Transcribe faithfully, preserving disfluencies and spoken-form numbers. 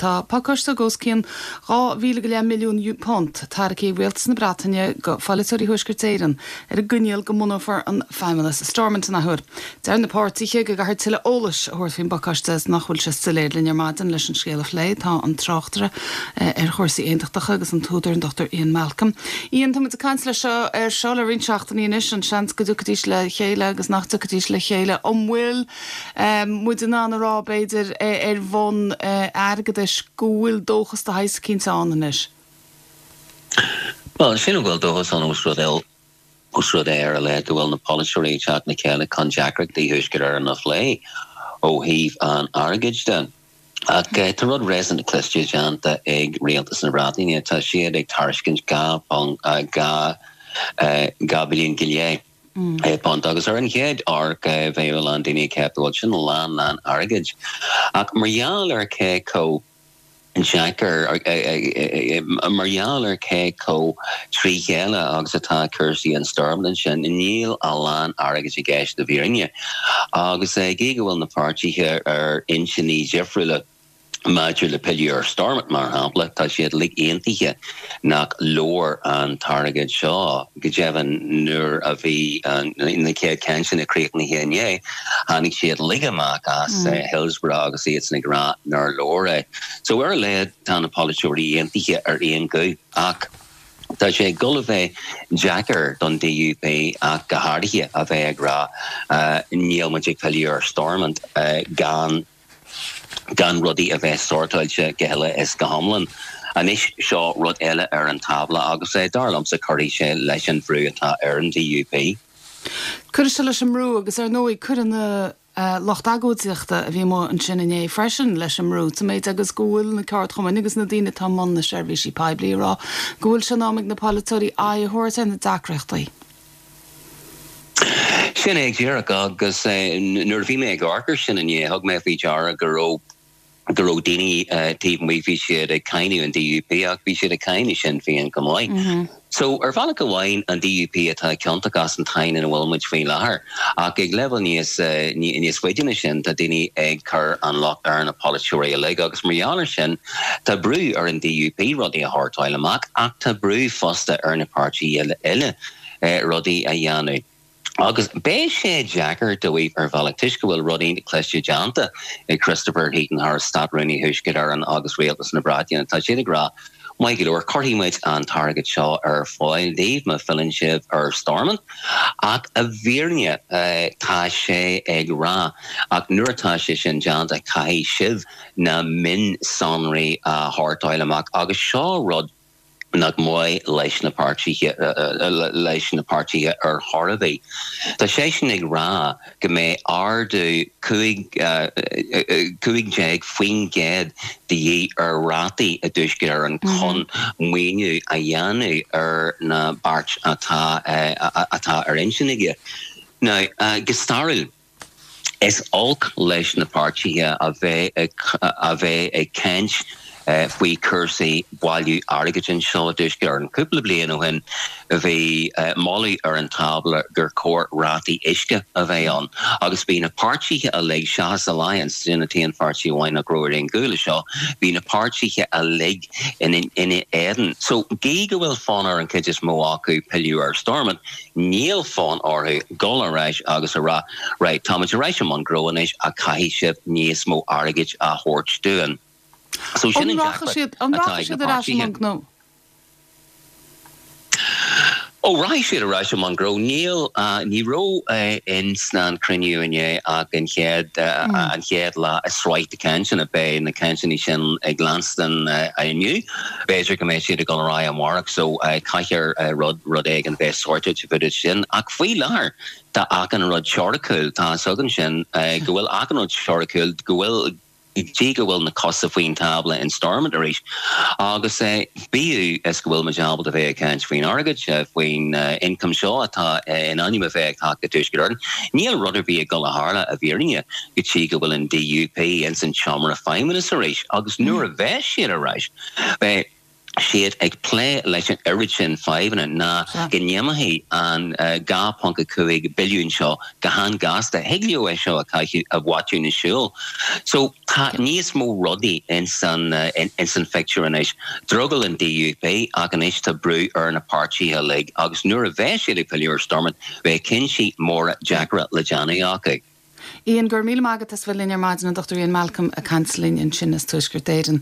Tá pacáiste os cionn dhá mhíle go leith milliún punt tairgthe ag Rialtas na Breataine go pholaiteoirí Thuaisceart Éireann ar an gcoinníoll go mbunófar an Feidhmeannas Stormont an athuair. Deir na páirtithe go gcaithfear tuilleadh eolais a thabhairt faoin bpacáiste is nach bhfuil sé soiléir linn ar maidin leis an scéal a phlé tá an tráchtaire ar chúrsaí aontachtacha agus an t-údar an Dr Ian Malcolm. Ian tá muid ag caint le seo ar seo le roinnt seachtainí anois an seans go dtiocfaidís le chéile agus nach dtiocfaidís le chéile an bhfuil muid in ann a rá b'fhéidir ar bhonn airgeadais go bhfuil dóchas de shaghas éicint ann anois. Well sin bhfuil dóchas an os rud os rud é ar le go bhfuil na polaiteoirí ag teacht le chéile chun deacrachtaí Thuaisceart Éireann a phlé ó thaobh an airgid de. Ach tá rud réasúnta cliste déanta ag rialtas na Breataine tá siad ag tairiscint dhá dhá dhá billiún go leith. punt agus ar an chéad amharc bheadh an daoine ceapáil sin lán lán airgid. Ach mar gheall ar cé chomh deacair mar gheall ar cé chomh trí chéile agus atá cúrsaí in Stormont sin níl a lán airgid i gceist i bhfírinne. Agus gí go bhfuil na páirtithe ar intinní difriúla maidir le pilleadh ar Stormont mar shampla tá siad uilig aontaithe nach leor an t-airgead seo go deimhin nuair a bhí na chéad cainteanna críochnaithe inné tháinig siad uilig amach as mm. Hillsborough agus iad ag rá nár leor é. So ar a laghad tá na polaiteoirí aontaithe ar aon ghuth ach Tá sé ag dul a bheith deacair don DUP ach go háirithe a bheith ag rá uh, níl muid ag pilleadh ar Stormont uh, gan gan rudaí a bheith sortáilte go huile is go hiomlán. Anois seo rud eile ar an tábla agus é dar liomsa cuirfidh sé leis an bhrú atá ar an DUP. Cuirfidh sé leis an mbrú agus ar ndóigh cuireann na uh, lucht agóidíochta a bhí amuigh ansin inné freisin leis an mbrú Tá méid agus go bhfuil na ceardchumainn agus na daoine atá i mbun na seirbhísí poiblí rá go bhfuil sé in am ag na polaiteoirí aghaidh a thabhairt ar na deacrachtaí. Sin é díreach agus nuair a bhí mé ag amharc sin inné thug mé faoi deara go raibh go raibh daoine taobh amuigh bhí siad ag cáineadh an DUP ach bhí siad ag cáineadh Sinn Féin go maith. Mm -hmm. So ar bhealach amháin an DUP atá ciontach as an tsáinn ina bhfuil muid faoi láthair ach ag leibhéal níos níos faide sin tá daoine ag cur an locht ar na polaiteoirí uilig agus mar gheall air sin tá brú ar an DUP rudaí a shórtáil amach ach tá brú fosta ar na páirtithe eile rudaí a dhéanamh. Agus beidh sé deacair dóibh ar bhealach toisc go bhfuil rudaí cliste déanta ag Christopher Heaton Harris Státrúnaí Thuaisceart Éireann agus Rialtas na Breataine tá siad ag rá Maith go leor cuirfidh muid an t-airgead seo ar fáil daoibh má fhilleann sibh ar Stormont ach i bhfírinne tá sé ag rá ach nuair atá sé sin déanta caithfidh sibh na mionsonraí a shórtáil amach agus seo rud nach maith leis na páirtithe leis na páirtithe ar chor ar bith. Tá sé sin ag rá go mbeidh ardú cúig déag faoin gcéad de dhíth ar rátaí i dTuaisceart Éireann chun maoiniú a dhéanamh ar na bearta atá atá ar intinn aige. Now go stairiúil is olc leis na páirtithe a bheith a bheith ag caint faoi chúrsaí bailiú airgid anseo i dTuaisceart Éireann. Cúpla bliain ó shin bhí moladh ar an tábla gur chóir rátaí uisce a bheith ann agus bhí na páirtithe uilig seachas Alliance sin an t-aon pháirtí amháin nach raibh ar aon ghuth leis seo, bhí na páirtithe uilig ina ina éadan. So gí go bhfuil fonn ar an chuid is mó acu pilleadh ar Stormont, níl fonn orthu dul ar ais agus a rá right táimid ar ais i mbun gnó anois ach caithfidh sibh níos mó airgid a thabhairt dúinn. So sin an deacracht An rachaidh siad ar ais i mbun gnó? Ó rachaidh siad ar ais i mbun gnó. Níl ní raibh in san cruinniú inné ach an chéad an chéad lá i sraith de cainteanna beidh na cainteanna sin ag leanstan inniu. B'fhéidir go mbeidh siad ag dul ar aghaidh amárach so caithfear rud rud éigin bheith sorted fud sin ach faoi láthair tá achan rud teoiriciúil tá a fhios againn sin go bhfuil achan rud teoiriciúil go bhfuil dtí go bhfuil na cosa faoin tábla in Stormont arís. Agus bíodh is go bhfuil muid ábalta bheith ag caint faoin airgead, faoin ioncam seo atá in ainm a bheith ag teacht go Tuaisceart Éireann, níl rud ar bith ag dul a tharlú i bhfírinne go dtí go bhfuil an DUP ins an tseomra feidhmeannais arís. Agus nuair a bheas siad ar ais, beidh siad ag plé leis an oiread sin fadhbanna ná go n-imeoidh an uh, dhá ponc a cúig billiún seo go han-ghasta thig leo é seo a chaitheamh a mhaitiú na siúl. So tá níos mó rudaí in san uh, in, in san phictiúr anois. Drogall an D U P ach anois tá brú ar na páirtithe uilig agus nuair a bheidh siad ag pilleadh ar Stormont beidh cinntí móra deacra le déanamh acu. Ian, go raibh míle maith agat as bheith linn ar maidin, an Dochtúir Ian Malcolm ag caint linn ansin as Tuaisceart Éireann.